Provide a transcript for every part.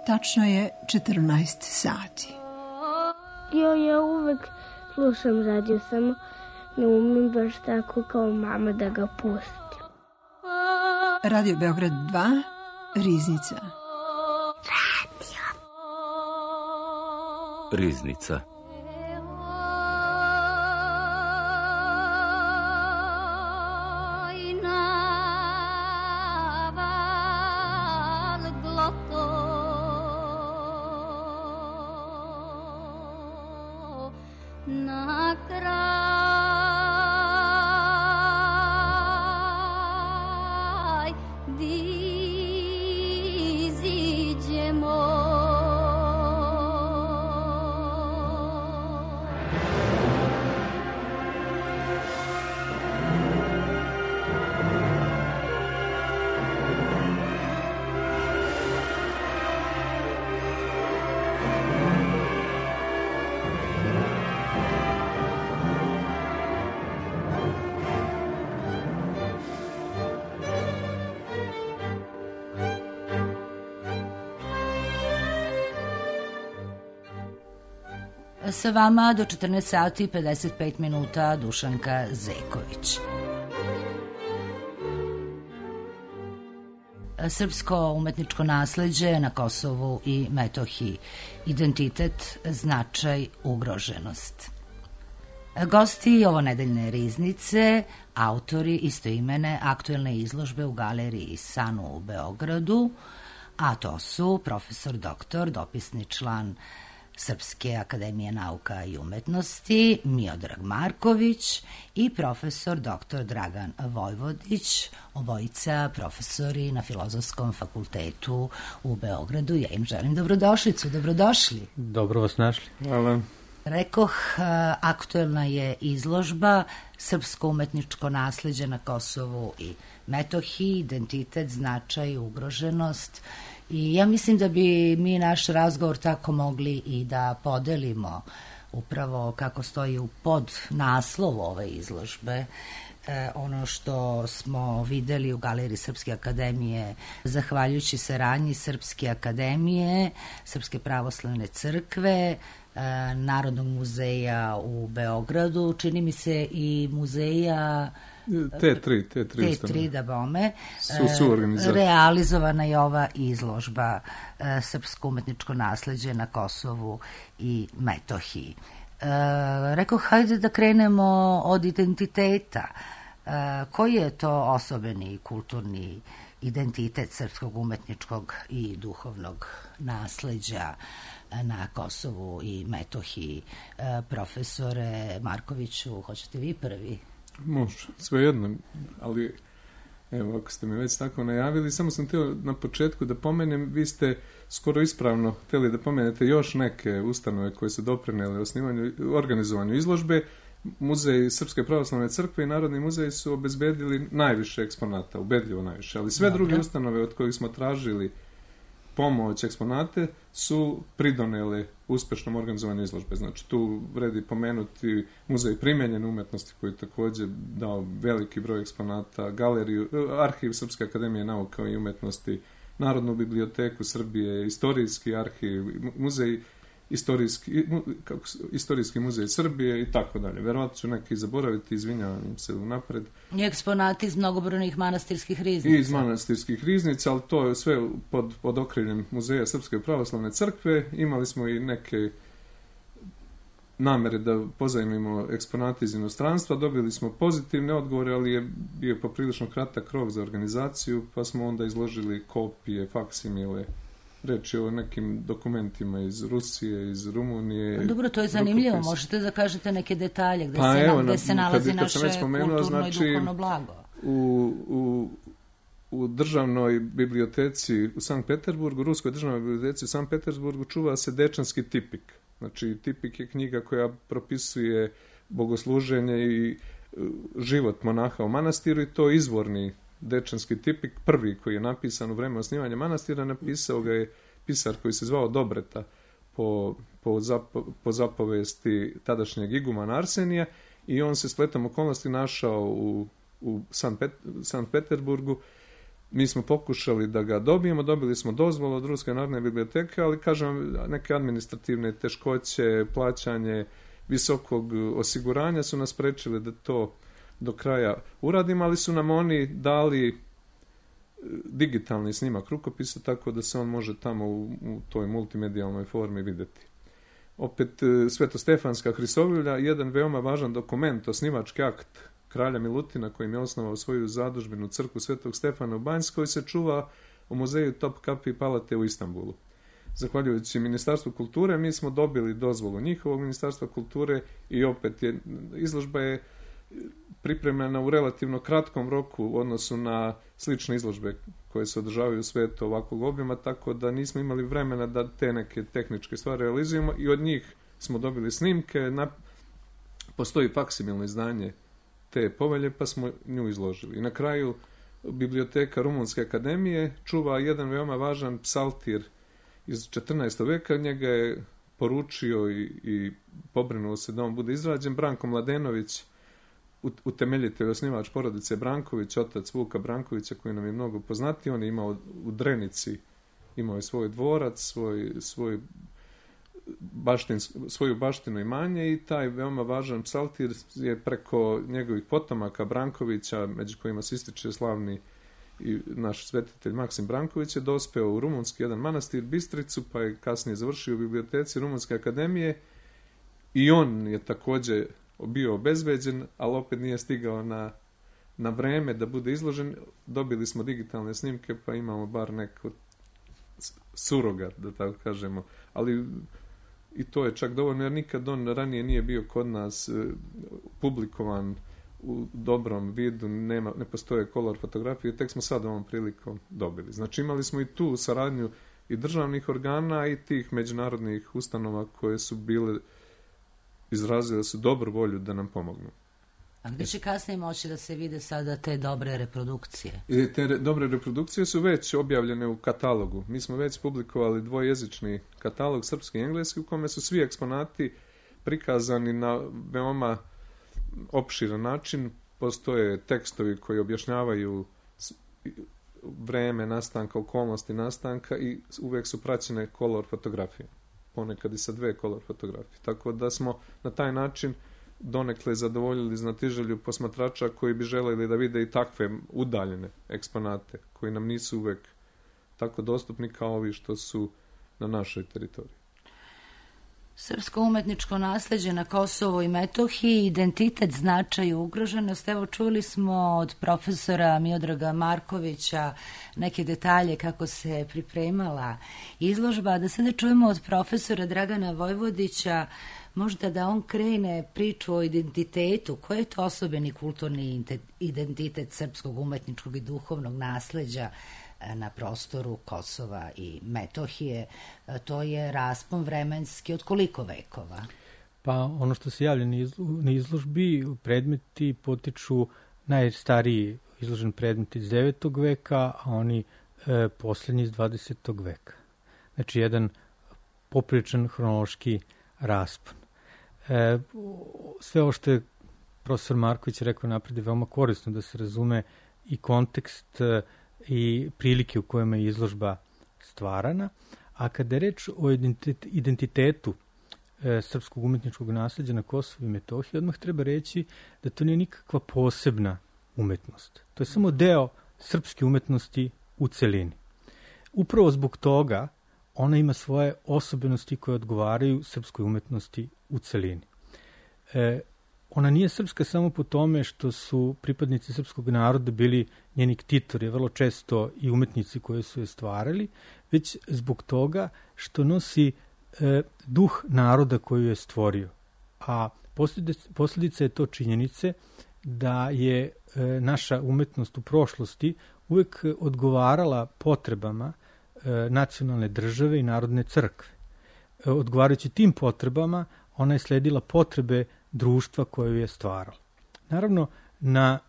Tačno je 14 sati. Ja uvek slušam radio, samo ne umem baš tako kao mama da ga pusti. Radio Beograd 2, Riznica. Riznica. Sa vama do 14 sati i 55 minuta Dušanka Zeković. Srpsko umetničko nasleđe na Kosovu i Metohiji. Identitet, značaj, ugroženost. Gosti ovonedeljne Riznice, autori istoimene aktuelne izložbe u galeriji Sanu u Beogradu, a to su profesor doktor, dopisni član Srpske akademije nauka i umetnosti Miodrag Marković i profesor dr. Dragan Vojvodić, obojica profesori na Filozofskom fakultetu u Beogradu. Ja im želim dobrodošlicu, dobrodošli. Dobro vas našli. Hvala. Rekoh, aktuelna je izložba Srpsko umetničko nasleđe na Kosovu i Metohiji, identitet, značaj, ugroženost. I ja mislim da bi mi naš razgovor tako mogli i da podelimo upravo kako stoji u podnaslovu ove izložbe. Ono što smo videli u Galeriji Srpske akademije, zahvaljujući saradnji Srpske akademije, Srpske pravoslavne crkve, Narodnog muzeja u Beogradu, čini mi se i muzeja T3 da bome, su realizovana je ova izložba Srpsko umetničko nasleđe na Kosovu i Metohiji. Rekao, hajde da krenemo od identiteta. Koji je to osobeni kulturni identitet srpskog umetničkog i duhovnog nasleđa na Kosovu i Metohiji? Profesore Markoviću, hoćete vi prvi? Može, svejedno, ali evo, ako ste me već tako najavili, samo sam htio na početku da pomenem, vi ste skoro ispravno htjeli da pomenete još neke ustanove koje su doprinele organizovanju izložbe. Muzej Srpske pravoslavne crkve i Narodni muzej su obezbedili najviše eksponata, ubedljivo najviše, ali sve druge ustanove od kojih smo tražili pomoć, eksponate, su pridonele uspešnom organizovanju izložbe. Znači, tu vredi pomenuti Muzej primenjene umetnosti koji je također dao veliki broj eksponata, galeriju, arhiv Srpske akademije nauka i umetnosti, Narodnu biblioteku Srbije, istorijski arhiv, muzej istorijski muzej Srbije i tako dalje. Verovatno ću neki zaboraviti, izvinjavam se unapred. I eksponati iz mnogobrojnih manastirskih riznica. I iz manastirskih riznica, ali to je sve pod okriljem Muzeja Srpske pravoslavne crkve. Imali smo i neke namere da pozajmimo eksponate iz inostranstva. Dobili smo pozitivne odgovore, ali je bio poprilično kratak rok za organizaciju, pa smo onda izložili kopije, faksimile. Reč je o nekim dokumentima iz Rusije, iz Rumunije. Dobro, to je zanimljivo. Možete da kažete neke detalje gde se nalazi naše kulturno i duhovno blago. U državnoj biblioteci u Sankt Peterburgu, Ruskoj državnoj biblioteci u Sankt Petersburgu čuva se Dečanski tipik. Znači, tipik je knjiga koja propisuje bogosluženje i život monaha u manastiru i to izvorni Dečanski tipik, prvi koji je napisan u vreme osnivanja manastira, napisao ga je pisar koji se zvao Dobreta po zapovesti tadašnjeg igumana Arsenija i on se spletom okolnosti našao u Sankt Peterburgu Mi smo pokušali da ga dobijemo, dobili smo dozvolu od Ruske narodne biblioteke, ali kažem, neke administrativne teškoće, plaćanje visokog osiguranja su nas sprečili da to do kraja uradimo, ali su nam oni dali digitalni snimak rukopisa, tako da se on može tamo u toj multimedijalnoj formi vidjeti. Opet, Svetostefanska Hrisovlja, jedan veoma važan dokument, osnivački akt kralja Milutina, kojim je osnovao svoju zadužbinu crkvu Svetog Stefana u Banjskoj, se čuva u muzeju Topkapi Palate u Istanbulu. Zahvaljujući Ministarstvu kulture, mi smo dobili dozvolu njihovog Ministarstva kulture i opet izložba je pripremljena u relativno kratkom roku u odnosu na slične izložbe koje se održavaju u svijetu ovakvog obima, tako da nismo imali vremena da te neke tehničke stvari realizujemo i od njih smo dobili snimke. Postoji faksimilno izdanje te povelje, pa smo nju izložili. I na kraju biblioteka Rumunske akademije čuva jedan veoma važan psaltir iz 14. veka. Njega je poručio i pobrinuo se da on bude izrađen Branko Mladenović, utemeljitelj, osnivač porodice Branković, otac Vuka Brankovića, koji nam je mnogo poznati. On je imao u Drenici, imao je svoj dvorac, svoju baštinu imanje, i taj veoma važan psaltir je preko njegovih potomaka Brankovića, među kojima se ističe slavni i naš svetitelj Maksim Branković, je dospeo u rumunski jedan manastir Bistricu, pa je kasnije završio u biblioteci Rumunske akademije, i on je također bio obezbeđen, ali opet nije stigao na vreme da bude izložen. Dobili smo digitalne snimke, pa imamo bar neko surogat, da tako kažemo, ali i to je čak dovoljno, jer nikad on ranije nije bio kod nas publikovan u dobrom vidu, ne postoje kolor fotografije, tek smo sad ovom prilikom dobili. Znači imali smo i tu saradnju i državnih organa i tih međunarodnih ustanova koje su bile izrazile su dobru volju da nam pomognu. A gdje će kasnije moći da se vide sada te dobre reprodukcije? Te dobre reprodukcije su već objavljene u katalogu. Mi smo već publikovali dvojezični katalog, srpski i engleski, u kome su svi eksponati prikazani na veoma opširan način. Postoje tekstovi koji objašnjavaju vreme nastanka, okolnosti nastanka, i uvijek su praćene kolor fotografije. Ponekad i sa 2 kolor fotografije. Tako da smo na taj način donekle zadovoljili znatiželju posmatrača koji bi želeli da vide i takve udaljene eksponate, koji nam nisu uvek tako dostupni kao ovi što su na našoj teritoriji. Srpsko umetničko nasleđe na Kosovu i Metohiji, identitet, značaj i ugroženost. Evo, čuli smo od profesora Miodraga Markovića neke detalje kako se pripremala izložba, da sada čujemo od profesora Dragana Vojvodića, možda da on krene priču o identitetu. Koji je to osobeni kulturni identitet srpskog umetničkog i duhovnog nasleđa na prostoru Kosova i Metohije? To je raspon vremenski od koliko vekova? Pa ono što se javlja na izložbi, predmeti potiču najstariji izložen predmet iz 9. veka, a oni posljednji iz 20. veka. Znači jedan popriličan hronološki raspon. Sve ovo što je profesor Marković rekao napred je veoma korisno da se razume i kontekst i prilike u kojima je izložba stvarana, a kada je reč o identitetu srpskog umetničkog nasleđa na Kosovu i Metohiji, odmah treba reći da to nije nikakva posebna umetnost. To je samo deo srpske umetnosti u celini. Upravo zbog toga ona ima svoje osobenosti koje odgovaraju srpskoj umetnosti u celini. Ona nije srpska samo po tome što su pripadnici srpskog naroda bili njeni ktitori, vrlo često i umetnici koji su je stvarali, već zbog toga što nosi duh naroda koju je stvorio. A posljedica je to činjenice da je naša umetnost u prošlosti uvek odgovarala potrebama nacionalne države i narodne crkve. Odgovarajući tim potrebama, ona je sledila potrebe društva koju je stvarala. Naravno, na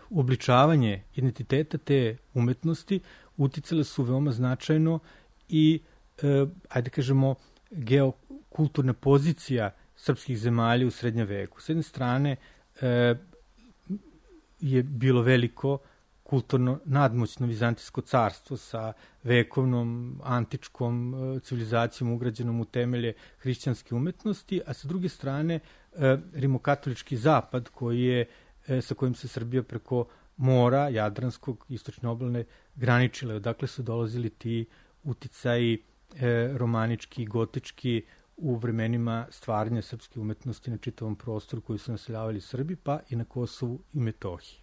uobličavanje identiteta te umetnosti uticale su veoma značajno i, ajde kažemo, geokulturna pozicija srpskih zemalja u srednjem veku. S jedne strane je bilo veliko kulturno nadmoćno Vizantijsko carstvo sa vekovnom antičkom civilizacijom ugrađenom u temelje hrišćanske umetnosti, a sa druge strane rimokatolički zapad sa kojim se Srbija preko mora Jadranskog, istočne obalne, graničile. Odakle su dolazili ti uticaji romanički i gotički u vremenima stvaranja srpske umetnosti na čitavom prostoru koji su naseljavali Srbi, pa i na Kosovu i Metohiji.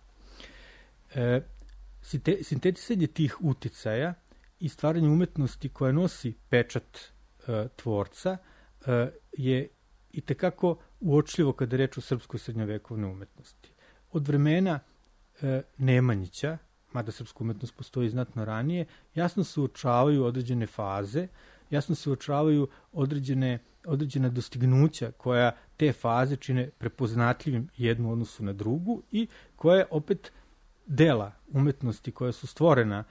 Sintetisanje tih uticaja i stvaranje umetnosti koja nosi pečat tvorca je i tekako uočljivo kada je reč o srpskoj srednjovekovnoj umetnosti. Od vremena Nemanjića, mada srpska umetnost postoji znatno ranije, jasno se uočavaju određene faze, jasno se uočavaju određena dostignuća koja te faze čine prepoznatljivim jednu u odnosu na drugu i koje opet dela umetnosti koja su stvorena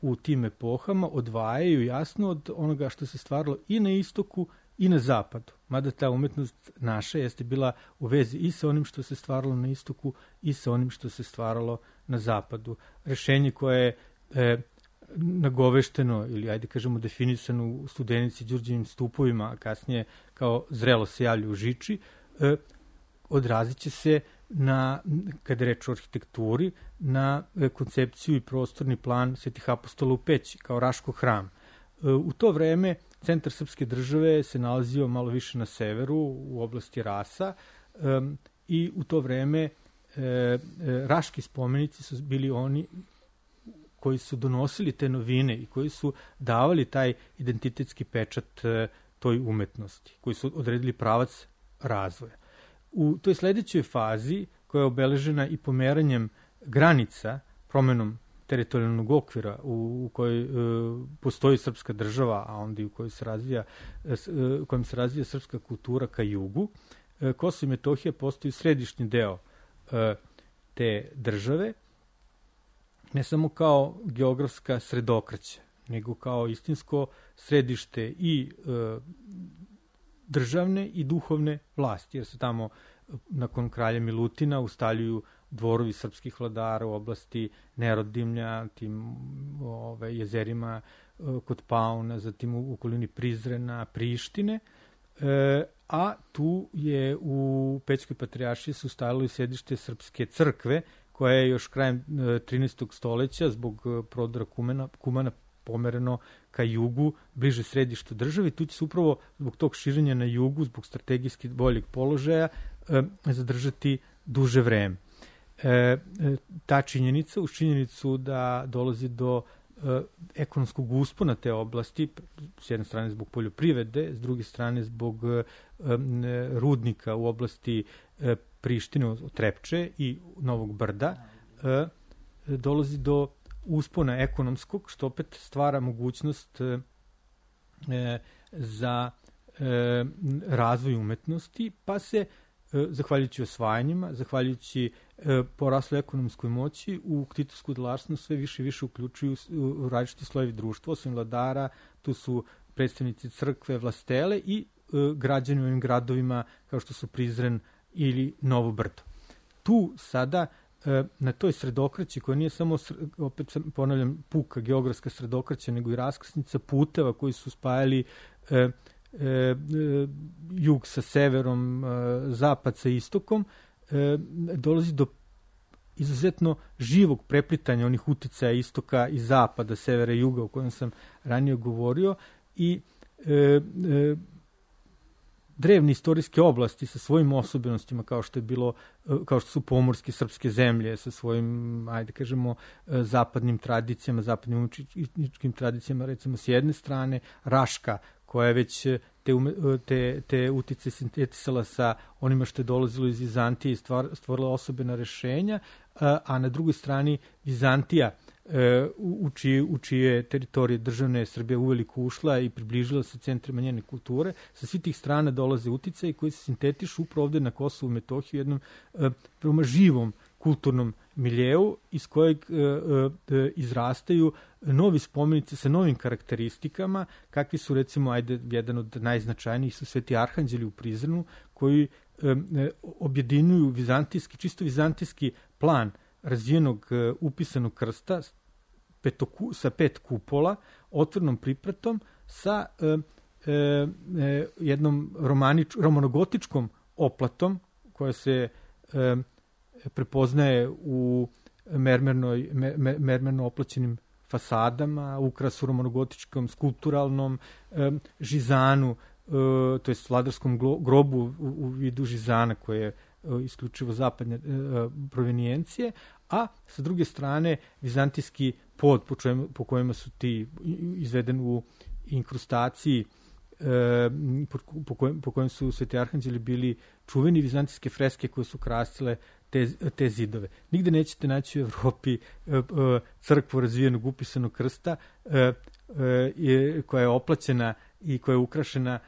u tim epohama odvajaju jasno od onoga što se stvaralo i na istoku i na zapadu. Mada ta umetnost naša jeste bila u vezi i sa onim što se stvaralo na istoku i sa onim što se stvaralo na zapadu. Rešenje koje je nagovešteno ili ajde kažemo definisano u Studenici Đurđevim stupovima, a kasnije kao zrelo se javlja u Žiči, odrazit će se kada je reč o arhitekturi, na koncepciju i prostorni plan Svetih apostola u Peći, kao Raškog hrama. U to vreme centar srpske države se nalazio malo više na severu, u oblasti Rasa, i u to vreme raški spomenici su bili oni koji su donosili te novine i koji su davali taj identitetski pečat toj umetnosti, koji su odredili pravac razvoja. U toj sledećoj fazi, koja je obeležena i pomeranjem granica, promenom teritorijalnog okvira u kojoj postoji srpska država, a onda i u kojoj se razvija srpska kultura ka jugu, Kosovo i Metohija postaju središnji deo te države, ne samo kao geografska sredokraća, nego kao istinsko središte i državne i duhovne vlasti, jer se tamo nakon kralja Milutina ustaljuju dvorovi srpskih vladara u oblasti Nerodimlja, tim jezerima kod Pauna, zatim u okolini Prizrena, Prištine, a tu je u Pećkoj patrijaršiji se ustalilo i sedište Srpske crkve, koja je još krajem 13. stoleća zbog prodora Kumana pomereno ka jugu, bliže središtu države. Tu će se upravo zbog tog širenja na jugu, zbog strategijski boljeg položaja, zadržati duže vreme. Ta činjenica, uz činjenicu da dolazi do ekonomskog uspona te oblasti, s jedne strane zbog poljoprivrede, s druge strane zbog rudnika u oblasti Prištine, Trepče i Novog Brda, dolazi do uspona ekonomskog, što opet stvara mogućnost za razvoj umetnosti, pa se, zahvaljujući osvajanjima, zahvaljujući poraslu ekonomskoj moći, u ktitorsku delatnost sve više i više uključuju u različiti slojevi društva, osim vladara, tu su predstavnici crkve, vlastele i građani u ovim gradovima kao što su Prizren ili Novo Brdo. Tu sada na toj sredokraći, koja nije samo, opet ponavljam, puka geografska sredokraća, nego i raskrsnica puteva koji su spajali jug sa severom, zapad sa istokom, dolazi do izuzetno živog preplitanja onih uticaja istoka i zapada, severa i juga, o kojem sam ranije govorio, i drevne istorijske oblasti sa svojim osobenostima, kao što su pomorske srpske zemlje sa svojim, ajde kažemo, zapadnim tradicijama, zapadnim umetničkim tradicijama, recimo s jedne strane, Raška, koja je već te utice sintetisala sa onima što je dolazilo iz Vizantije i stvorila osobena rešenja, a na drugoj strani Vizantija, u čije teritorije državne Srbija uveliko ušla i približila se centrima njene kulture. Sa svih tih strana dolaze uticaji koji se sintetišu upravo ovde na Kosovu i Metohiji u jednom veoma živom kulturnom miljeu iz kojeg izrastaju novi spomenici sa novim karakteristikama, kakvi su, recimo, jedan od najznačajnijih su Sveti Arhanđeli u Prizrenu, koji objedinuju čisto vizantijski plan razvijenog upisanog krsta sa 5 kupola, otvornom pripratom, sa jednom romanogotičkom oplatom koja se prepoznaje u mermerno oplaćenim fasadama, ukrasu romanogotičkom skulpturalnom žizanu, to je vladarskom grobu u vidu žizana koje je isključivo zapadne provenijencije, a sa druge strane vizantijski pod po kojima su ti izveden u inkrustaciji po kojem su Sveti Arhanđeli bili čuveni, vizantijske freske koje su krasile te zidove. Nigde nećete naći u Evropi crkvu razvijenog upisanog krsta koja je oplaćena i koja je ukrašena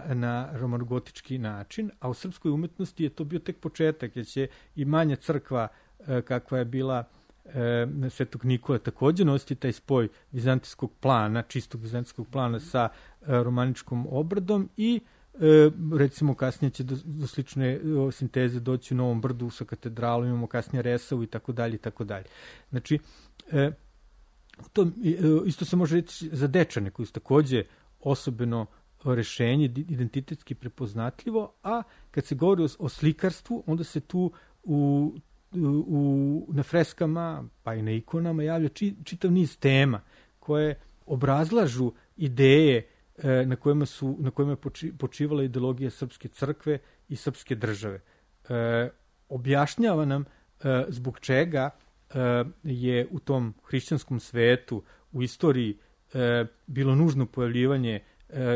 na romanogotički način, a u srpskoj umetnosti je to bio tek početak, jer će i manja crkva kakva je bila Svetog Nikole takođe nositi taj spoj vizantijskog plana, čistog vizantijskog plana sa romaničkom obradom i recimo kasnije će do slične sinteze doći u Novom Brdu sa katedralom, imamo kasnije Resavu i tako dalje i tako dalje. Znači, to isto se može reći za Dečane koji su takođe osobeno rešenje, identitetski prepoznatljivo, a kad se govori o slikarstvu, onda se tu na freskama, pa i na ikonama javlja čitav niz tema koje obrazlažu ideje na kojima je počivala ideologija srpske crkve i srpske države. Objašnjava nam zbog čega je u tom hrišćanskom svetu u istoriji bilo nužno pojavljivanje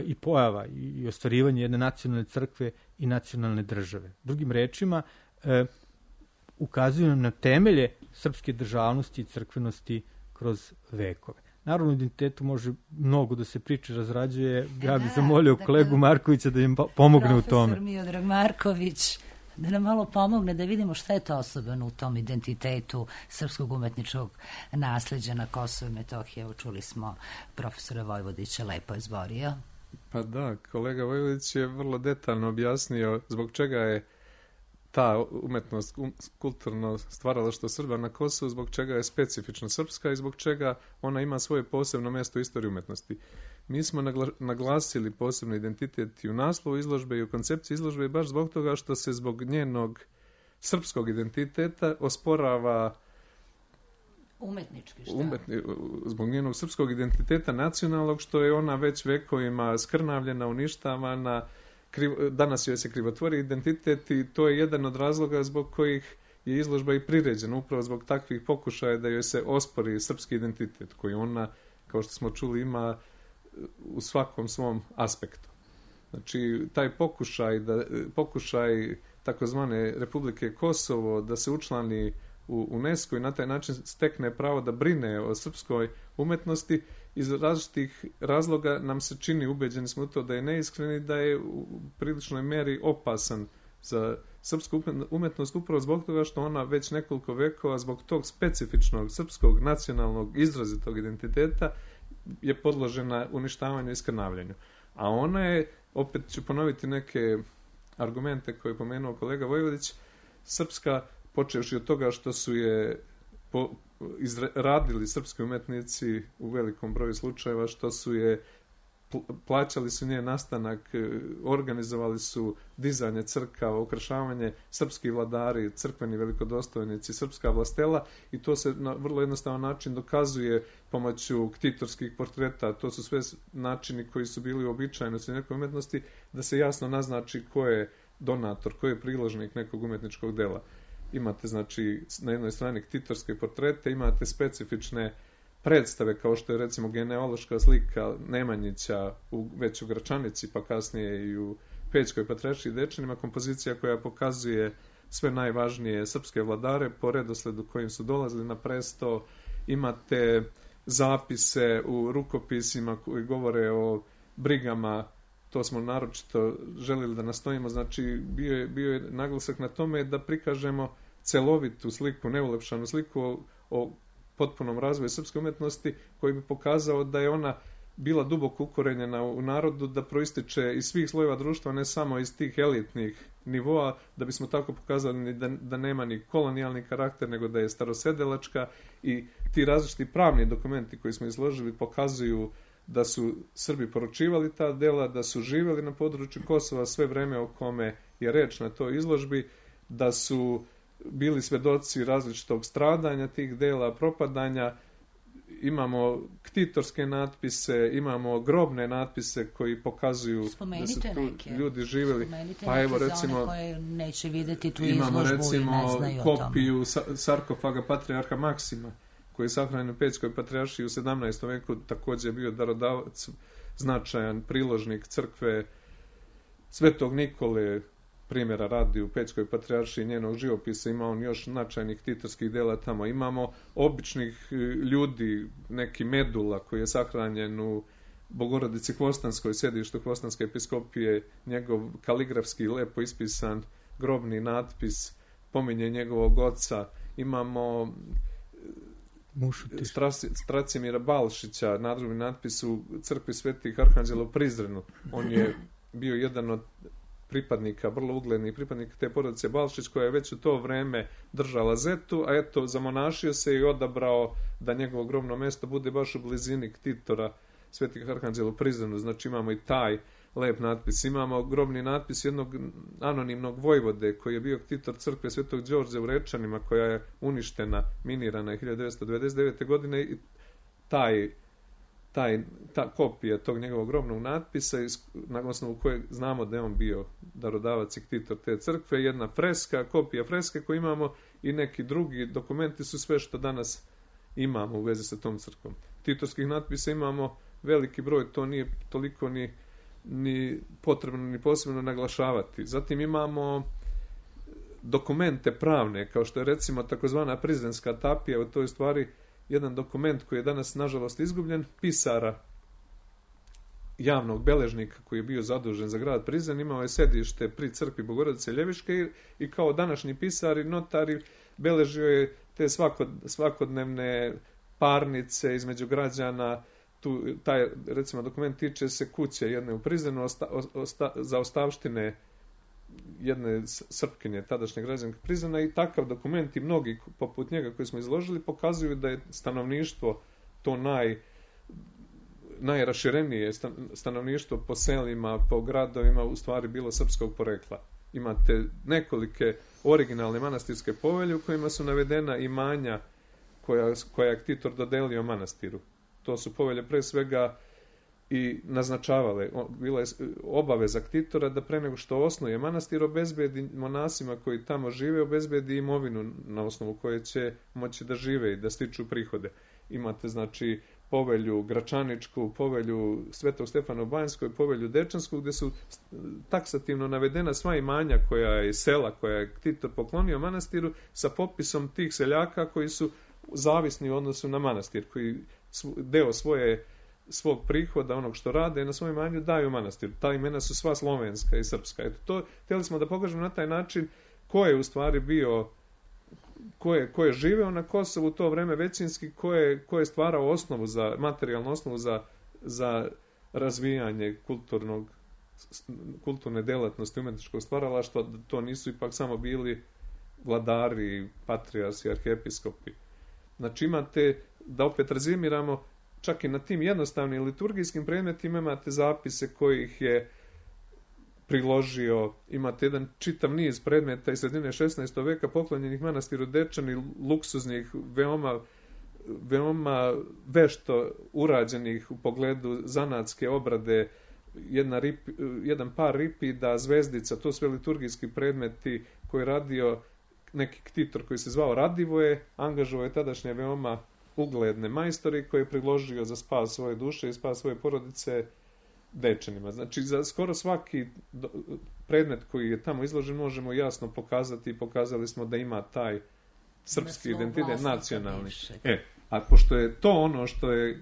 i pojava i ostvarivanje jedne nacionalne crkve i nacionalne države. Drugim rečima, ukazuju nam na temelje srpske državnosti i crkvenosti kroz vekove. Naravno, o identitetu može mnogo da se priče, razrađuje. Ja bih zamolio kolegu Markovića da im pomogne u tome. Profesor Miodrag Marković, da nam malo pomogne da vidimo šta je to osobeno u tom identitetu srpskog umetničkog nasleđa na Kosovo i Metohije. Evo, čuli smo profesora Vojvodića, lepo je izborio. Pa da, kolega Vojvodić je vrlo detaljno objasnio zbog čega je ta umetnost, kulturno stvaralaštvo Srba na Kosovu, zbog čega je specifično srpska i zbog čega ona ima svoje posebno mjesto u istoriji umetnosti. Mi smo naglasili posebno identitet i u naslovu izložbe i u koncepciji izložbe baš zbog toga što se zbog njenog srpskog identiteta osporava umetnički zbog njenog srpskog identiteta nacionalnog, što je ona već vekovima skrnavljena, uništavana, danas joj se krivotvori identitet i to je jedan od razloga zbog kojih je izložba i priređena, upravo zbog takvih pokušaja da joj se ospori srpski identitet koji ona, kao što smo čuli, ima u svakom svom aspektu. Znači, taj pokušaj takozvane Republike Kosovo da se učlani u UNESCO i na taj način stekne pravo da brine o srpskoj umetnosti, iz različitih razloga nam se čini, ubeđeni smo u to, da je neiskren i da je u priličnoj meri opasan za srpsku umetnost upravo zbog toga što ona već nekoliko vekova zbog tog specifičnog srpskog nacionalnog izrazitog identiteta je podložena uništavanju i skrnavljanju. A ona je, opet ću ponoviti neke argumente koje je pomenuo kolega Vojvodić, srpska, počevši od toga što su je radili srpski umetnici u velikom broju slučajeva, što su je plaćali su njen nastanak, organizovali su dizanje crkava, ukrašavanje, srpski vladari, crkveni velikodostojnici, srpska vlastela, i to se na vrlo jednostavan način dokazuje pomoću ktitorskih portreta. To su sve načini koji su bili uobičajeni u nekoj umetnosti, da se jasno naznači ko je donator, ko je priložnik nekog umetničkog dela. Imate, znači, na jednoj strani ktitorske portrete, imate specifične predstave, kao što je recimo genealoška slika Nemanjića već u Gračanici, pa kasnije i u Pećkoj Patrijaršiji Dečanima, kompozicija koja pokazuje sve najvažnije srpske vladare po redosledu kojim su dolazili na presto. Imate zapise u rukopisima koji govore o brigama, to smo naročito želili da nastojimo, znači bio je naglasak na tome da prikažemo celovitu sliku, neulepšanu sliku o potpunom razvoju srpske umetnosti, koji bi pokazao da je ona bila duboko ukorenjena u narodu, da proističe iz svih slojeva društva, ne samo iz tih elitnih nivoa, da bismo tako pokazali da nema ni kolonijalni karakter, nego da je starosedelačka, i ti različiti pravni dokumenti koji smo izložili pokazuju da su Srbi poručivali ta dela, da su živjeli na području Kosova sve vreme o kome je reč na toj izložbi, da su bili svedoci različitog stradanja tih dela, propadanja. Imamo ktitorske natpise, imamo grobne natpise koji pokazuju da su tu ljudi živjeli. Pa evo recimo, koje neće vidjeti tu izložbu i ne znaju kopiju sarkofaga patrijarha Maksima, koji je sahranjen u Pećkoj patrijaršiji u 17. veku, također je bio darodavac, značajan priložnik crkve Svetog Nikole, primjera radi u Pećkoj patrijaršiji, njenog živopisa. Ima on još značajnih ktitorskih dela tamo. Imamo običnih ljudi, neki Medula koji je sahranjen u Bogorodici Hvostanskoj, sedištu Hvostanske episkopije, njegov kaligrafski lepo ispisan grobni natpis pominje njegovog oca. Imamo Stracimira Balšića, nadrobni natpis u crkvi Svetih Arhanđela u Prizrenu. On je bio jedan od pripadnika, vrlo uglednih pripadnika te porodice Balšić, koja je već u to vreme držala zetu, a eto, zamonašio se i odabrao da njegovo grobno mesto bude baš u blizini ktitora Svetih Arhanđela u Prizrenu. Znači imamo i taj lep natpis. Imamo grobni natpis jednog anonimnog vojvode koji je bio ktitor crkve Svetog Đorđa u Rečanima, koja je uništena, minirana 1999. godine, i ta kopija tog njegovog grobnog natpisa, na osnovu koje znamo da je on bio darodavac i ktitor te crkve, jedna freska, kopija freske koju imamo, i neki drugi dokumenti su sve što danas imamo u vezi sa tom crkvom. Ktitorskih natpisa imamo veliki broj, to nije toliko ni potrebno ni posebno naglašavati. Zatim imamo dokumente pravne, kao što je recimo takozvana prizrenska tapija, to je stvari jedan dokument koji je danas nažalost izgubljen, pisara, javnog beležnika koji je bio zadužen za grad Prizren, imao je sedište pri crkvi Bogorodice Ljeviške i kao današnji pisari, notari, beležio je te svakodnevne parnice između građana. Taj, recimo, dokument tiče se kuće jedne u Prizrenu za ostavštine jedne Srpkinje, tadašnje građanke Prizrena, i takav dokument i mnogi poput njega koji smo izložili pokazuju da je stanovništvo to najraširenije stanovništvo po selima, po gradovima u stvari bilo srpskog porekla. Imate nekolike originalne manastirske povelje u kojima su navedena imanja koja je ktitor dodelio manastiru. To su povelje pre svega i naznačavale, bila je obaveza ktitora da pre nego što osnuje manastir obezbedi monasima koji tamo žive, obezbedi imovinu na osnovu koje će moći da žive i da stiču prihode. Imate znači povelju Gračaničku, povelju Svetog Stefana u Banjskoj, povelju Dečansku, gdje su taksativno navedena sva imanja koja je sela, koja je ktitor poklonio manastiru, sa popisom tih seljaka koji su zavisni u odnosu na manastir, koji deo svog prihoda, onog što rade, na svojem imanju daju manastiru. Ta imena su sva slovenska i srpska. Eto, to htjeli smo da pokažemo na taj način ko je u stvari bio, ko je živeo na Kosovu u to vreme većinski, ko je stvarao materijalnu osnovu za razvijanje kulturne delatnosti, umetničkog stvaralaštva. To nisu ipak samo bili vladari, patrijarsi, arhiepiskopi. Znači imate, da opet rezimiramo, čak i na tim jednostavnim liturgijskim predmetima imate zapise kojih je priložio, imate jedan čitav niz predmeta iz sredine 16. veka poklonjenih manastiru Dečani, luksuznih, veoma vešto urađenih u pogledu zanatske obrade, jedan par ripida, zvezdica, to sve liturgijski predmeti koje je radio neki ktitor koji se zvao Radivoje, angažovao je tadašnje veoma ugledne majstori koji je priložio za spas svoje duše i spas svoje porodice Dečanima. Znači, za skoro svaki predmet koji je tamo izložen možemo jasno pokazati i pokazali smo da ima taj srpski identitet nacionalni. A pošto je to ono što je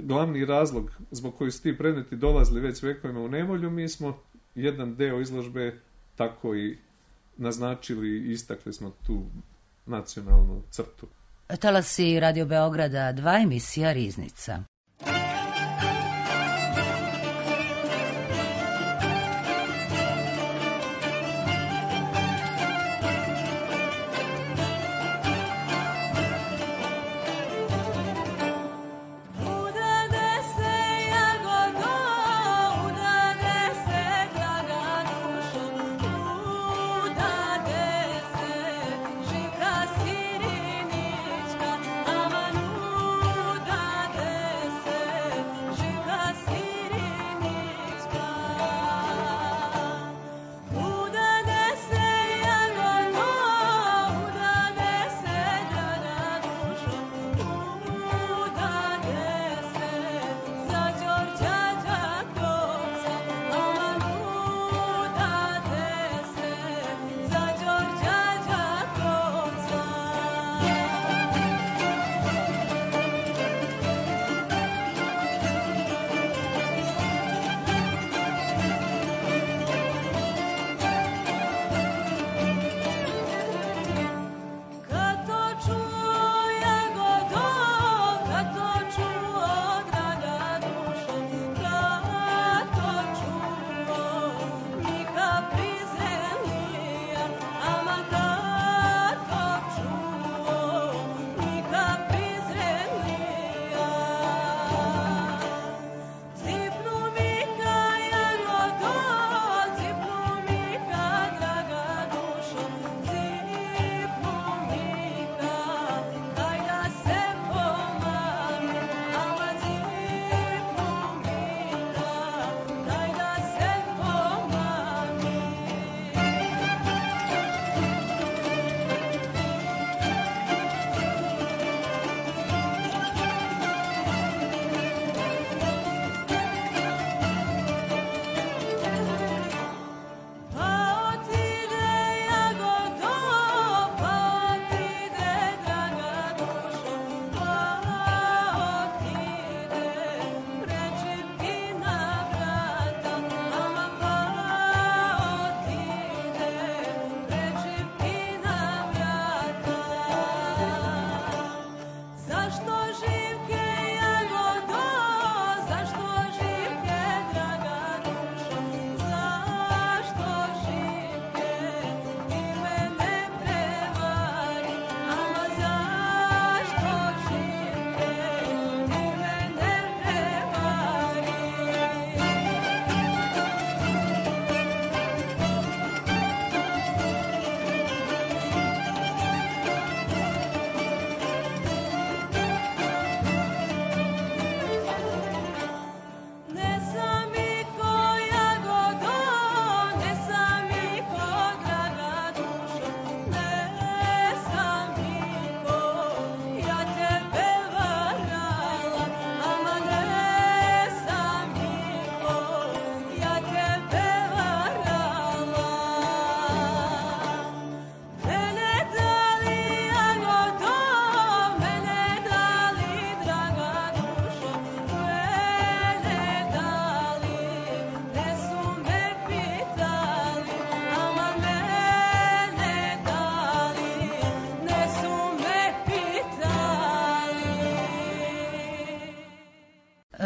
glavni razlog zbog koji su ti predmeti dolazili već vekovima u nevolju, mi smo jedan deo izložbe tako i naznačili i istakli smo tu nacionalnu crtu. Talasi Radio Beograda 2, emisija Riznica.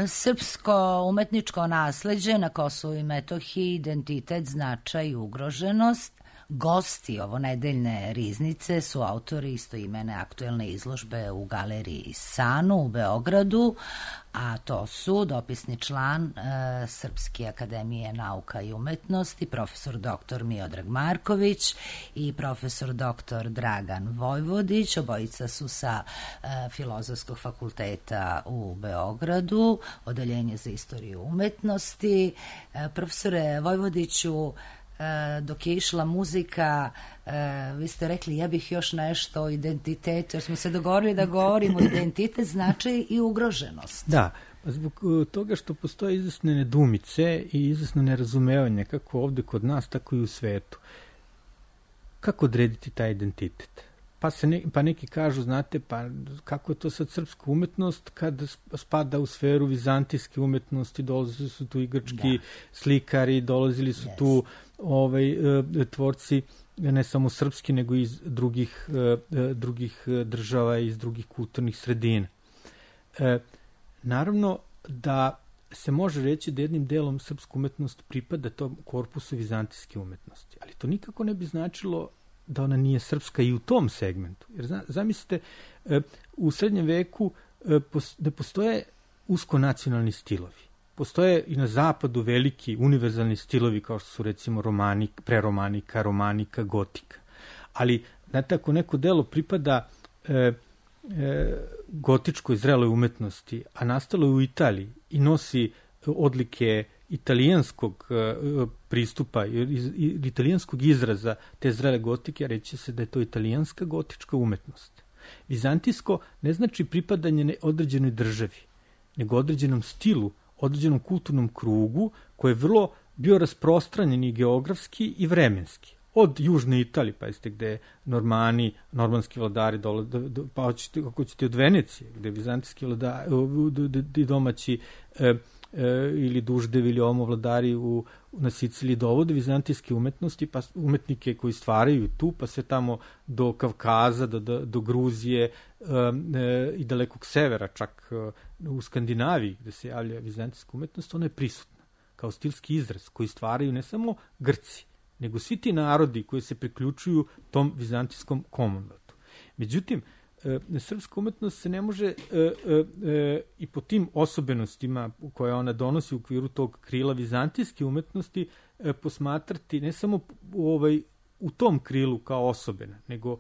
Srpsko umetničko nasleđe na Kosovu i Metohiji, identitet, značaj i ugroženost. Gosti ovonedeljne riznice su autori istoimene aktuelne izložbe u galeriji Sanu u Beogradu, a to su dopisni član Srpske akademije nauka i umetnosti, profesor dr. Miodrag Marković i profesor dr. Dragan Vojvodić. Obojica su sa Filozofskog fakulteta u Beogradu, odeljenje za istoriju umetnosti. Profesore Vojvodiću, dok je išla muzika, vi ste rekli ja bih još nešto o identitetu, jer smo se dogovorili da govorimo identitet, značaj i ugroženost. Da, zbog toga što postoje izvesne nedumice i izvesno nerazumevanje, kako ovde kod nas, tako i u svetu. Kako odrediti taj identitet? Pa neki kažu, znate, pa kako je to sad srpska umetnost kad spada u sferu vizantijske umetnosti, dolazili su tu i grčki slikari, dolazili su tu tvorci ne samo srpski, nego i iz drugih država i iz drugih kulturnih sredina. Naravno da se može reći da jednim delom srpska umetnost pripada tom korpusu vizantijske umetnosti, ali to nikako ne bi značilo da ona nije srpska i u tom segmentu. Jer zamislite, u srednjem veku da postoje uskonacionalni stilovi. Postoje i na zapadu veliki univerzalni stilovi kao što su recimo preromanika, romanika, gotika. Ali, znate, ako neko delo pripada gotičkoj zreloj umetnosti, a nastalo je u Italiji i nosi odlike italijanskog pristupa ili italijanskog izraza te zrele gotike, reći se da je to italijanska gotička umetnost. Vizantijsko ne znači pripadanje određenoj državi, nego određenom stilu, određenom kulturnom krugu koji je vrlo bio rasprostranjen i geografski i vremenski. Od južne Italije, pa jeste gde normanski vladari pa ako ćete od Venecije, gde vizantijski vladari domaći ili duždevi ili omovladari na Siciliji dovode vizantijske umetnosti, pa umetnike koji stvaraju tu, pa sve tamo do Kavkaza, do Gruzije i dalekog severa, čak u Skandinaviji gde se javlja vizantijska umetnost, ona je prisutna kao stilski izraz koji stvaraju ne samo Grci, nego svi ti narodi koji se priključuju tom vizantijskom Commonwealthu. Međutim, srpska umetnost se ne može i po tim osobenostima koje ona donosi u okviru tog krila vizantijske umetnosti posmatrati ne samo u tom krilu kao osobena, nego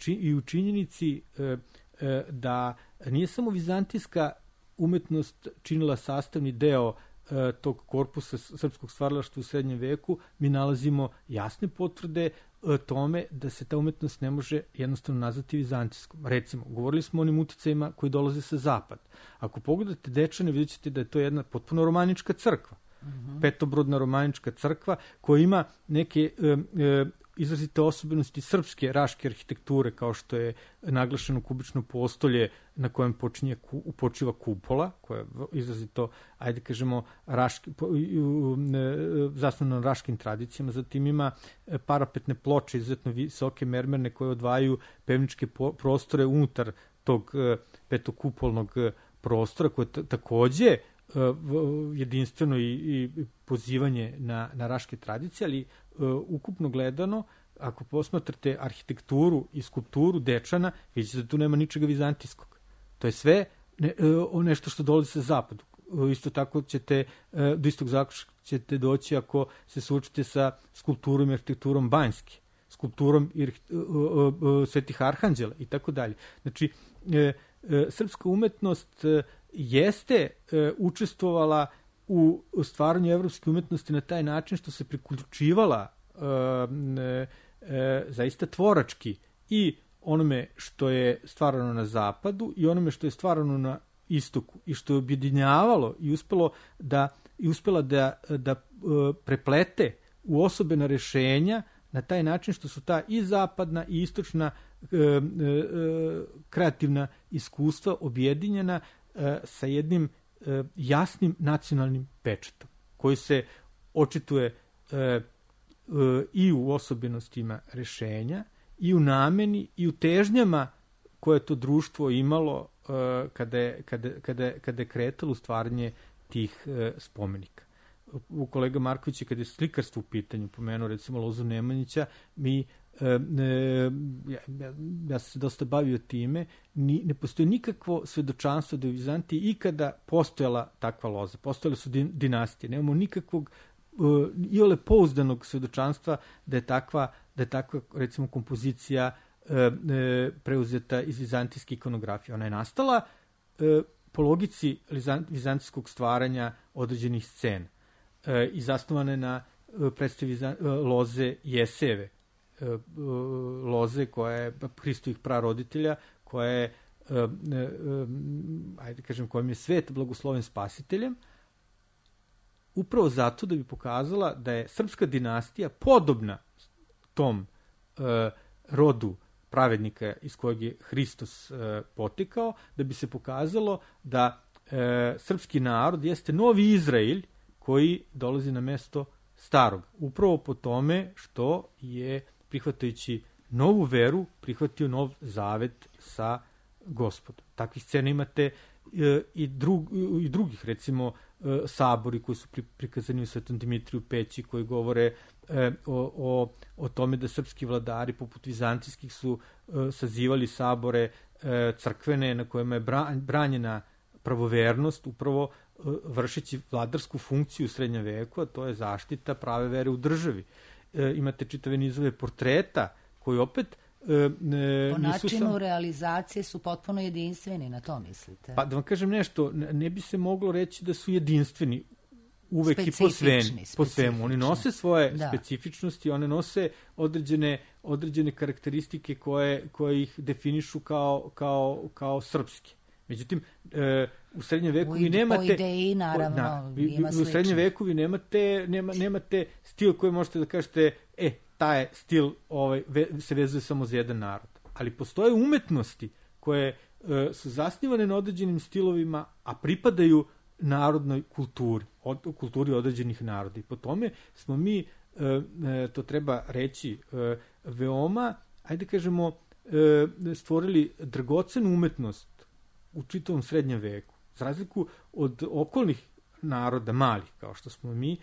i u činjenici da nije samo vizantijska umetnost činila sastavni deo tog korpusa srpskog stvaralaštva u srednjem veku, mi nalazimo jasne potvrde tome da se ta umetnost ne može jednostavno nazvati vizantijskom. Recimo, govorili smo o onim uticajima koji dolaze sa zapada. Ako pogledate Dečane, vidjet ćete da je to jedna potpuno romanička crkva. Petobrodna romanička crkva koja ima neke izrazite osobenosti srpske raške arhitekture, kao što je naglašeno kubično postolje na kojem počiva kupola, koja je izrazito, ajde kažemo, zasnovano na raškim tradicijama. Zatim ima parapetne ploče, izuzetno visoke mermerne, koje odvajaju pevničke prostore unutar tog petokupolnog prostora, koje je takođe jedinstveno i pozivanje na raške tradicije, ali ukupno gledano, ako posmatrate arhitekturu i skulpturu Dečana, vidite da tu nema ničega vizantijskog. To je sve nešto što dolazi sa zapadu. Isto tako do istog zaključka ćete doći ako se suočite sa skulpturom i arhitekturom Banjske, skulpturom Svetih Arhanđela i tako dalje. Znači, srpska umetnost jeste učestvovala u stvaranju evropske umetnosti na taj način što se priključivala zaista tvorački i onome što je stvarano na zapadu i onome što je stvarano na istoku i što je objedinjavalo i uspela da preplete u osobena rešenja na taj način što su ta i zapadna i istočna kreativna iskustva objedinjena sa jednim jasnim nacionalnim pečatom koji se očituje i u osobenostima rešenja i u nameni i u težnjama koje je to društvo imalo kada je kretalo u stvaranje tih spomenika. U kolega Marković je, kada je slikarstvo u pitanju, pomenuo recimo Lozu Nemanjića, ja sam se dosta bavio time, ne postoji nikakvo svedočanstvo da je u Vizantiji ikada postojala takva loza. Postojale su dinastije. Nemamo nikakvog iole pouzdanog svedočanstva da je takva recimo kompozicija preuzeta iz vizantijske ikonografije. Ona je nastala po logici vizantijskog stvaranja određenih scena i zasnovane na predstavi loze Jeseve, loze koja je Hristovih praroditelja, koja je kojim je svet blagosloven spasiteljem, upravo zato da bi pokazala da je srpska dinastija podobna tom rodu pravednika iz kojeg je Hristos potekao, da bi se pokazalo da srpski narod jeste novi Izrael koji dolazi na mesto starog. Upravo po tome što je, prihvatajući novu veru, prihvatio nov zavet sa Gospodom. Takvih scena imate i drugih, recimo sabori koji su prikazani u Svetom Dimitriju Peći, koji govore o tome da srpski vladari poput vizantijskih su sazivali sabore crkvene na kojima je branjena pravovernost, upravo vršeći vladarsku funkciju u srednjem veku, a to je zaštita prave vere u državi. Imate čitave nizove portreta koji opet po načinu realizacije su potpuno jedinstveni, na to mislite? Pa da vam kažem nešto, ne bi se moglo reći da su jedinstveni uvek i po svemu. Oni nose svoje specifičnosti, one nose određene karakteristike koje ih definišu kao srpske. Međutim, u srednjem veku vi nemate... Po ideji, naravno, ima slično. U srednjem veku vi nemate stil koji možete da kažete, taj stil se vezuje samo za jedan narod. Ali postoje umetnosti koje su zasnivane na određenim stilovima, a pripadaju narodnoj kulturi određenih naroda. I po tome smo mi, to treba reći, veoma, ajde kažemo, stvorili dragocenu umetnost u čitavom srednjem veku. Za razliku od okolnih naroda, malih, kao što smo mi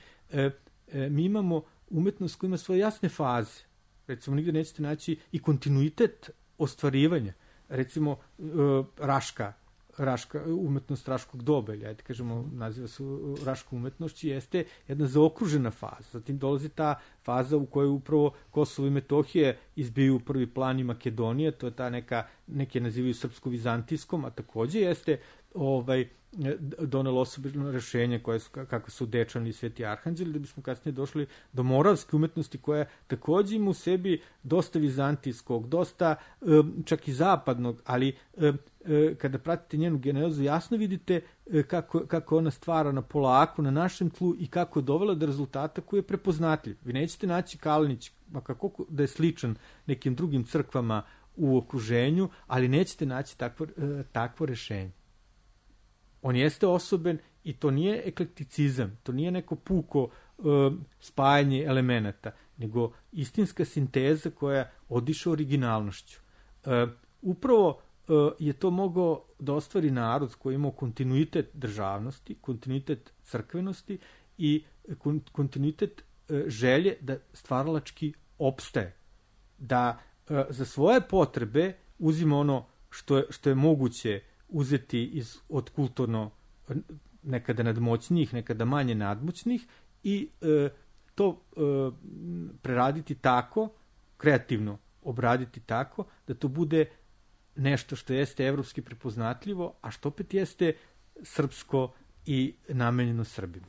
imamo umetnost koja ima svoje jasne faze. Recimo, nigde nećete naći i kontinuitet ostvarivanja. Recimo, umetnost raškog doba, ili ajde kažemo, naziva se raška umetnošću, jeste jedna zaokružena faza. Zatim dolazi ta faza u kojoj upravo Kosovo i Metohije izbiju prvi plan i Makedonije, to je ta neke nazivaju srpsko-vizantijskom, a takođe jeste donelo osobno rešenje kakve su Dečani i Sveti Arhanđeli, da bismo kasnije došli do moravske umetnosti koja takođe ima u sebi dosta vizantijskog, dosta čak i zapadnog, ali kada pratite njenu genezu jasno vidite kako ona stvara na polako, na našem tlu i kako je dovela do rezultata koji je prepoznatljiv. Vi nećete naći Kalinić, kako da je sličan nekim drugim crkvama u okruženju, ali nećete naći takvo rešenje. On jeste osoben i to nije eklekticizam, to nije neko puko spajanje elemenata, nego istinska sinteza koja odiše originalnošću. Upravo je to mogao da ostvari narod koji imao kontinuitet državnosti, kontinuitet crkvenosti i kontinuitet želje da stvaralački opstaje. Da za svoje potrebe uzima ono što je moguće uzeti od kulturno nekada nadmoćnijih, nekada manje nadmoćnih i to preraditi tako, kreativno obraditi tako, da to bude nešto što jeste evropski prepoznatljivo, a što opet jeste srpsko i namenjeno Srbima.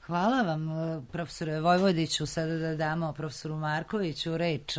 Hvala vam, profesore Vojvodiću. Sada da damo profesoru Markoviću reč.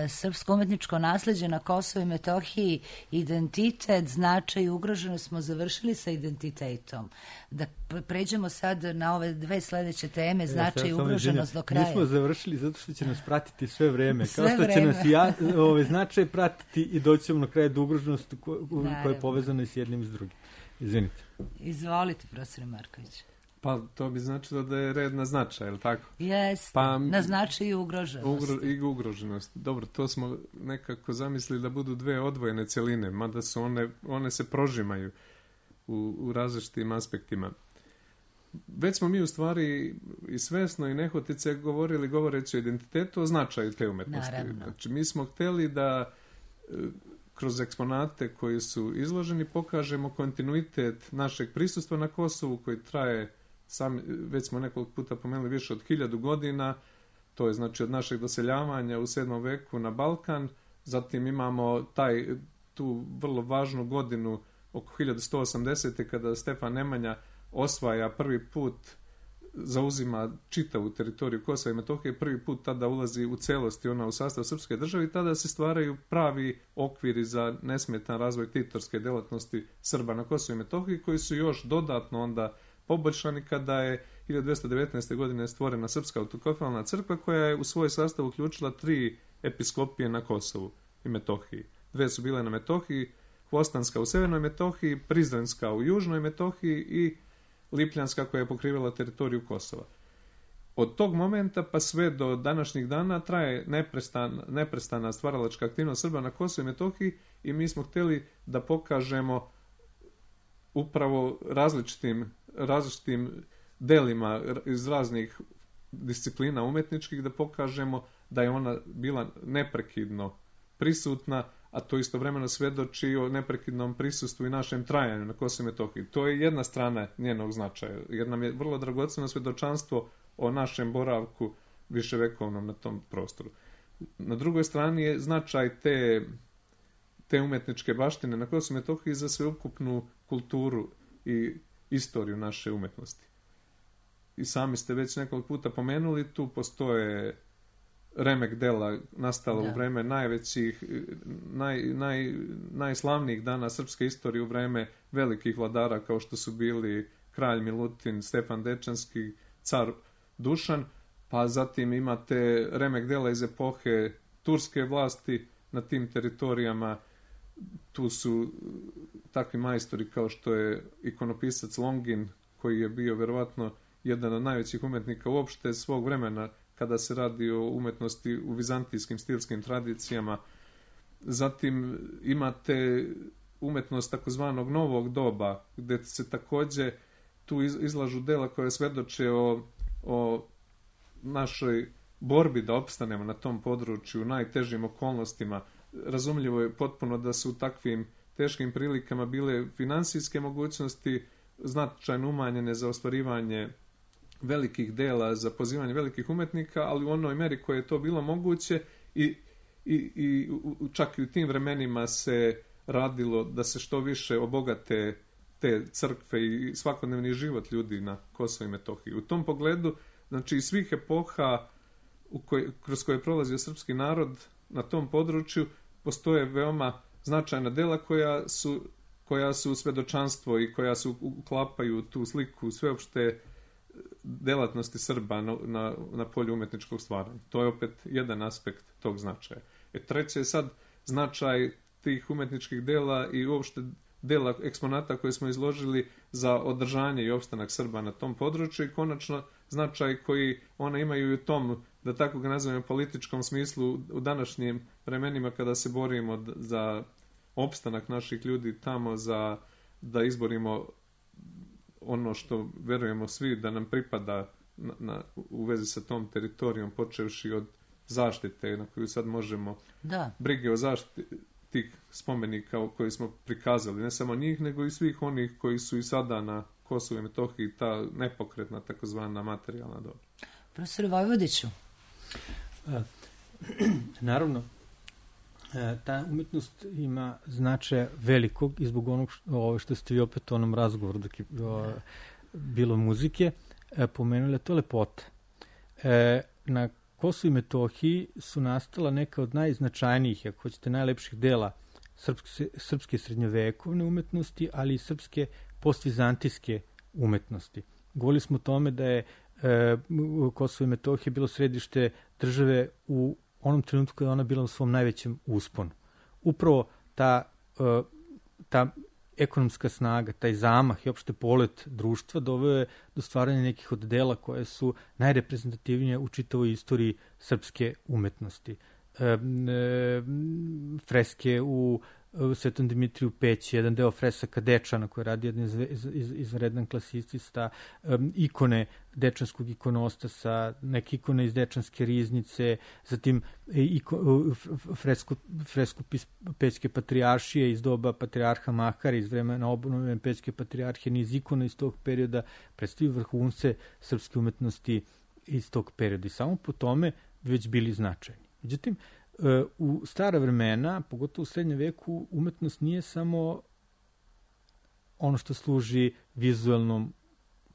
Srpsko umetničko nasleđe na Kosovo i Metohiji, identitet, značaj, ugroženo, smo završili sa identitetom. Da pređemo sad na ove dve sledeće teme, značaj i ugroženost do kraja. Nismo završili zato što će nas pratiti sve vreme. Kao što će nas značaj pratiti i doćemo na kraju do ugroženosti koja je povezana i s jednim i s drugim. Izvinite. Izvolite, profesore Marković. Pa to bi značilo da je red na značaj, je li tako? Jeste, Pa, na značaj i ugroženost. I ugroženost. Dobro, to smo nekako zamislili da budu dve odvojene cjeline, mada su one se prožimaju u različitim aspektima. Već smo mi u stvari i svesno i nehotice govoreći o identitetu, o značaju te umetnosti. Naravno. Znači, mi smo htjeli da kroz eksponate koji su izloženi pokažemo kontinuitet našeg prisustva na Kosovu koji traje, već smo nekoliko puta pomenuli, više od 1000 godina. To je znači od našeg doseljavanja u 7. veku na Balkan. Zatim imamo tu vrlo važnu godinu oko 1180. kada Stefan Nemanja osvaja prvi put, zauzima čitavu teritoriju Kosova i Metohije, prvi put tada ulazi u celosti ona u sastav srpske države i tada se stvaraju pravi okviri za nesmetan razvoj titorske delatnosti Srba na Kosovu i Metohiji, koji su još dodatno onda poboljšani kada je 1219. godine stvorena Srpska autokefalna crkva koja je u svoj sastav uključila 3 episkopije na Kosovu i Metohiji. 2 su bile na Metohiji, Hvostanska u severnoj Metohiji, Prizrenska u južnoj Metohiji i Lipljanska koja je pokrivala teritoriju Kosova. Od tog momenta pa sve do današnjih dana traje neprestana stvaralačka aktivnost Srba na Kosovu i Metohiji i mi smo htjeli da pokažemo upravo različitim delima iz raznih disciplina umetničkih, da pokažemo da je ona bila neprekidno prisutna, a to istovremeno svedoči o neprekidnom prisustvu i našem trajanju na Kosovu i Metohiji. To je jedna strana njenog značaja, jer nam je vrlo dragoceno svedočanstvo o našem boravku viševekovnom na tom prostoru. Na drugoj strani je značaj te umetničke baštine na Kosovu i Metohiji za sveukupnu kulturu i istoriju naše umetnosti. I sami ste već nekoliko puta pomenuli, tu postoje remek dela nastala u vreme najvećih, najslavnijih dana srpske istorije, u vreme velikih vladara kao što su bili kralj Milutin, Stefan Dečanski, car Dušan, pa zatim imate remek dela iz epohe turske vlasti na tim teritorijama. Tu su takvi majstori kao što je ikonopisac Longin, koji je bio verovatno jedan od najvećih umetnika uopšte svog vremena kada se radi o umetnosti u vizantijskim stilskim tradicijama. Zatim imate umetnost takozvanog novog doba, gdje se također tu izlažu dela koje svedoče o našoj borbi da opstanemo na tom području u najtežim okolnostima. Razumljivo je potpuno da su u takvim teškim prilikama bile finansijske mogućnosti značajno umanjene za ostvarivanje velikih dela, za pozivanje velikih umetnika, ali u onoj meri koje je to bilo moguće i čak i u tim vremenima se radilo da se što više obogate te crkve i svakodnevni život ljudi na Kosovu i Metohiji. U tom pogledu, znači iz svih epoha kroz koje je prolazio srpski narod na tom području, postoje veoma značajna dela koja su svedočanstvo i koja su uklapaju tu sliku sveopšte delatnosti Srba na polju umetničkog stvaranja. To je opet jedan aspekt tog značaja. Treće je sad značaj tih umetničkih dela i uopšte dela eksponata koje smo izložili za održanje i opstanak Srba na tom području i konačno značaj koji one imaju i u tom, da tako ga nazovemo, političkom smislu u današnjim vremenima kada se borimo za opstanak naših ljudi tamo, da izborimo ono što verujemo svi da nam pripada u vezi sa tom teritorijom, počevši od zaštite na koju sad možemo, brige o zaštiti tih spomenika koji smo prikazali, ne samo njih, nego i svih onih koji su i sada na Kosovu i Metohiji, ta nepokretna takozvana materijalna dobra. Profesor Vojvodiću. Naravno, ta umetnost ima značaja velikog i zbog onog što ste vi opet u onom razgovoru dok je bilo muzike pomenuli, to je lepota. Na Kosovu i Metohiji su nastala neka od najznačajnijih, ako hoćete, najlepših dela srpske srednjovekovne umetnosti, ali i srpske postvizantijske umetnosti. Govorili smo o tome da je Kosovo i Metohija bilo središte države u onom trenutku kada je ona bila u svom najvećem usponu. Upravo ta ekonomska snaga, taj zamah i opšte polet društva doveo je do stvaranja nekih od dela koje su najreprezentativnije u čitavoj istoriji srpske umetnosti. Freske u Svetom Dimitriju Peći, jedan deo fresaka Dečana koji radi jedan izvredan klasicista, ikone dečanskog ikonostada, neke ikone iz Dečanske riznice, zatim fresku Pećke patrijaršije iz doba patrijarha Mahara, iz vremena obnove Pećke patrijarhije, niz ikona iz tog perioda predstavljaju vrhunce srpske umetnosti iz tog perioda i samo po tome već bili značajni. Međutim, u stara vremena, pogotovo u srednjem veku, umetnost nije samo ono što služi vizualnom,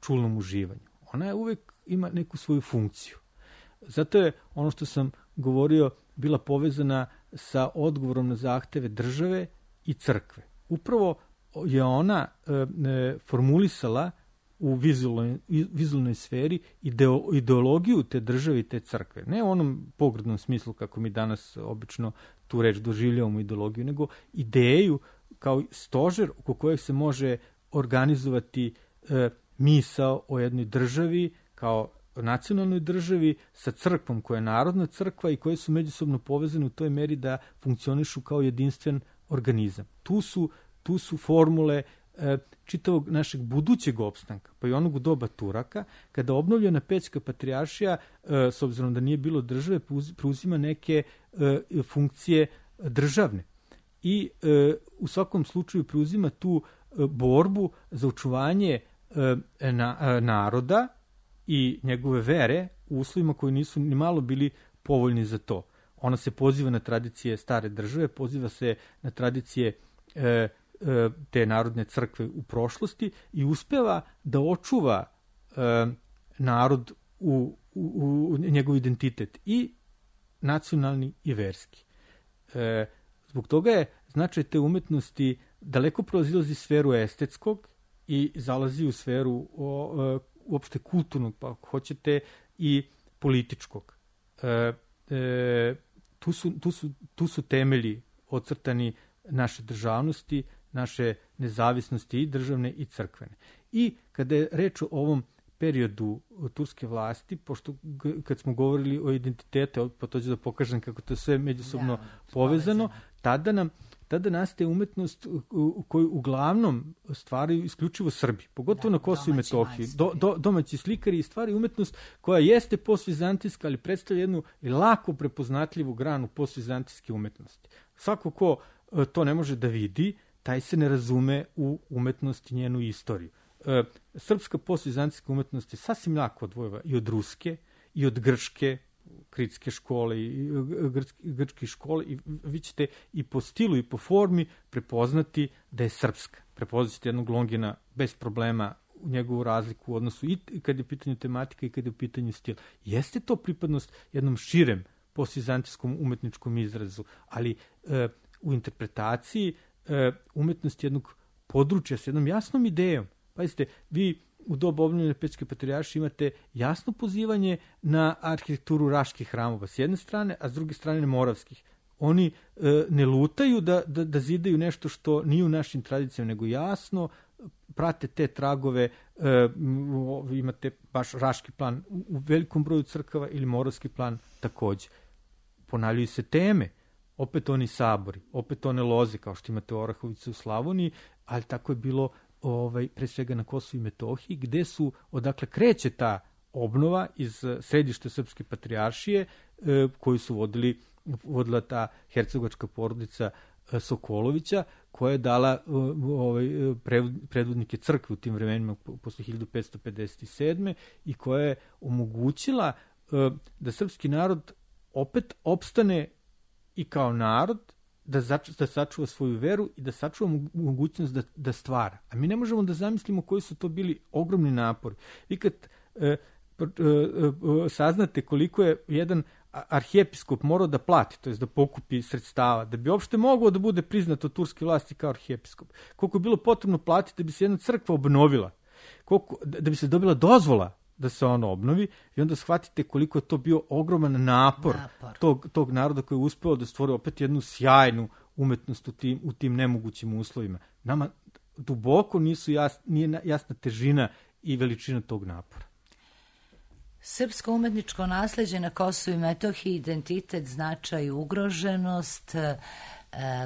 čulnom uživanju. Ona je uvek ima neku svoju funkciju. Zato je ono što sam govorio bila povezana sa odgovorom na zahteve države i crkve. Upravo je ona formulisala u vizualnoj sferi ideologiju te države i te crkve. Ne u onom pogrdnom smislu kako mi danas obično tu reč doživljavamo ideologiju, nego ideju kao stožer oko kojeg se može organizovati misao o jednoj državi kao nacionalnoj državi sa crkvom koja je narodna crkva i koje su međusobno povezane u toj meri da funkcionišu kao jedinstven organizam. Tu su formule čitavog našeg budućeg opstanka, pa i onog u doba Turaka, kada obnovljena Pećka patrijaršija, s obzirom da nije bilo države, preuzima neke funkcije državne. I u svakom slučaju preuzima tu borbu za očuvanje naroda i njegove vere u uslovima koji nisu ni malo bili povoljni za to. Ona se poziva na tradicije stare države, poziva se na tradicije te narodne crkve u prošlosti i uspeva da očuva narod u njegov identitet i nacionalni i verski. Zbog toga je značaj te umetnosti daleko prozilazi sferu estetskog i zalazi u sferu uopšte kulturnog, pa ako hoćete, i političkog. Tu su temelji ocrtani naše državnosti, naše nezavisnosti i državne i crkvene. I kada je reč o ovom periodu turske vlasti, pošto kad smo govorili o identitetu, pa to ću da pokažem kako to sve međusobno povezano, tada nastaje umetnost koju uglavnom stvaraju isključivo Srbi, pogotovo na Kosovu i Metohiji. Domaći slikari stvaraju umetnost koja jeste postvizantijska, ali predstavlja jednu lako prepoznatljivu granu postvizantijske umetnosti. Svako ko to ne može da vidi, taj se ne razume u umetnost i njenu istoriju. Srpska postvizantijska umetnost je sasvim lako odvojeva i od ruske, i od grčke, kritske škole i grčke škole, i vi ćete i po stilu i po formi prepoznati da je srpska. Prepoznat ćete jednog Longina bez problema u njegovu razliku u odnosu i kad je u pitanju tematika i kad je u pitanju stil. Jeste to pripadnost jednom širem postvizantijskom umetničkom izrazu, ali u interpretaciji umetnosti jednog područja s jednom jasnom idejom. Pazite, vi u dobu obnovljene Pećke patrijaršije imate jasno pozivanje na arhitekturu raških hramova s jedne strane, a s druge strane moravskih. Oni ne lutaju da zidaju nešto što nije u našim tradicijama, nego jasno prate te tragove. Imate baš raški plan u velikom broju crkava ili moravski plan takođe. Ponavljaju se teme, opet oni sabori, opet one loze kao što imate u Orahovici u Slavoniji, ali tako je bilo pre svega na Kosovu i Metohiji, gde odakle kreće ta obnova iz središta Srpske patrijaršije koju su vodila ta hercegovačka porodica Sokolovića, koja je dala predvodnike crkve u tim vremenima posle 1557. i koja je omogućila da srpski narod opet opstane i kao narod, da sačuva svoju veru i da sačuva mogućnost da stvara. A mi ne možemo da zamislimo koji su to bili ogromni napori. Vi kad saznate koliko je jedan arhijepiskop morao da plati, to je da pokupi sredstava, da bi uopšte mogao da bude priznat od turske vlasti kao arhijepiskop, koliko je bilo potrebno platiti da bi se jedna crkva obnovila, da bi se dobila dozvola da se ono obnovi, i onda shvatite koliko je to bio ogroman napor. Tog naroda koji je uspeo da stvori opet jednu sjajnu umetnost u tim nemogućim uslovima. Nama duboko nije jasna težina i veličina tog napora. Srpsko umetničko nasleđe na Kosovu i Metohiji, identitet, značaj, ugroženost.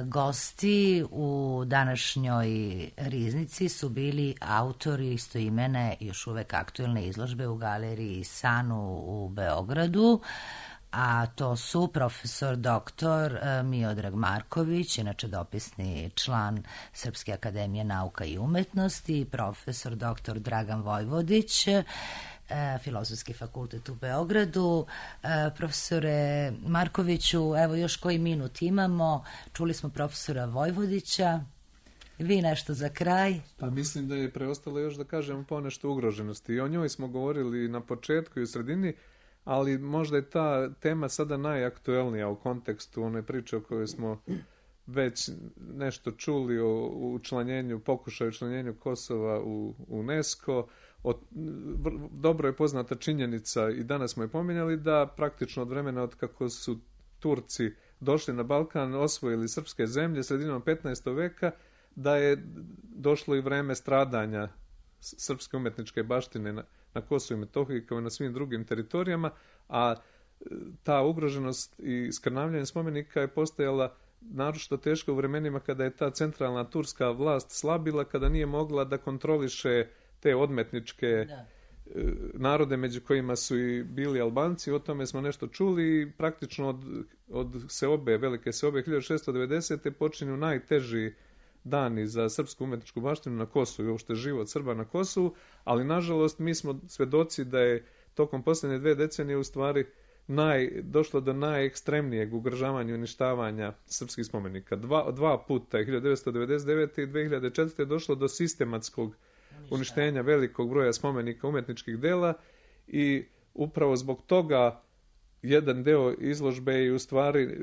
Gosti u današnjoj riznici su bili autori istoimene, još uvek aktuelne izložbe u galeriji Sanu u Beogradu, a to su profesor doktor Miodrag Marković, inače dopisni član Srpske akademije nauka i umetnosti, i profesor doktor Dragan Vojvodić, Filozofski fakultet u Beogradu. Profesore Markoviću, evo još koji minut imamo. Čuli smo profesora Vojvodića. Vi nešto za kraj? Pa mislim da je preostalo još da kažemo ponešto ugroženosti. I o njoj smo govorili na početku i u sredini, ali možda je ta tema sada najaktuelnija u kontekstu one priče o kojoj smo već nešto čuli o učlanjenju, pokušaju učlanjenju Kosova u UNESCO. Dobro je poznata činjenica, i danas smo je pominjali, da praktično od vremena od kako su Turci došli na Balkan, osvojili srpske zemlje sredinom 15. veka, da je došlo i vreme stradanja srpske umetničke baštine na Kosovu i Metohiji kao i na svim drugim teritorijama, a ta ugroženost i skrnavljanje spomenika je postojala naročito teško u vremenima kada je ta centralna turska vlast slabila, kada nije mogla da kontroliše te odmetničke narode među kojima su i bili Albanci. O tome smo nešto čuli i praktično od velike seobe 1690. počinju najteži dani za srpsku umetničku baštinu na Kosovu i uopšte život Srba na Kosovu, ali nažalost mi smo svedoci da je tokom posljednje 2 decenije u stvari došlo do najekstremnijeg ugrožavanja i uništavanja srpskih spomenika. Dva puta, 1999. i 2004. je došlo do sistematskog uništenja velikog broja spomenika umetničkih dela i upravo zbog toga jedan deo izložbe je u stvari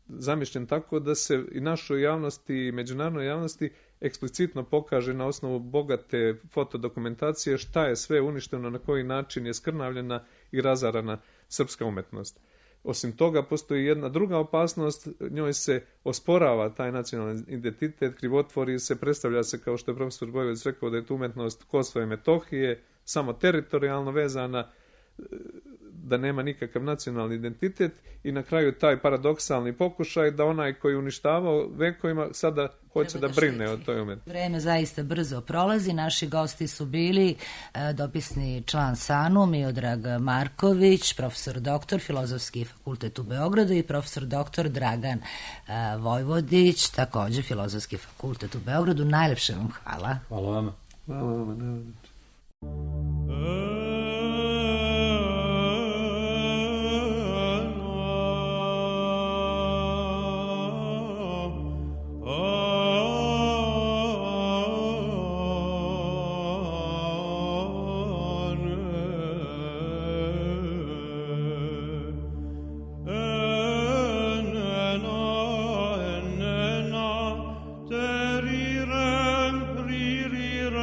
zamišljen tako da se i našoj javnosti i međunarodnoj javnosti eksplicitno pokaže na osnovu bogate fotodokumentacije šta je sve uništeno, na koji način je skrnavljena i razarana srpska umetnost. Osim toga, postoji jedna druga opasnost, njoj se osporava taj nacionalni identitet, krivotvori se, predstavlja se, kao što je profesor Vojvodić rekao, da je tu umetnost Kosova i Metohije samo teritorijalno vezana, da nema nikakav nacionalni identitet, i na kraju taj paradoksalni pokušaj da onaj koji je uništavao vekovima sada hoće da brine o toj umetnosti. Vreme zaista brzo prolazi. Naši gosti su bili dopisni član Sanu Miodrag Marković, profesor doktor Filozofski fakultet u Beogradu, i profesor doktor Dragan Vojvodić, takođe Filozofski fakultet u Beogradu. Najlepše vam hvala. Hvala vama. Hvala vama. Rirem, rirem,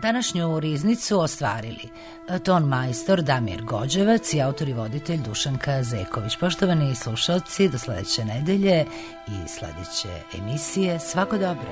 Današnju riznicu ostvarili ton majstor Damir Gođevac i autor i voditelj Dušanka Zeković. Poštovani slušalci, do sledeće nedelje i sledeće emisije. Svako dobro!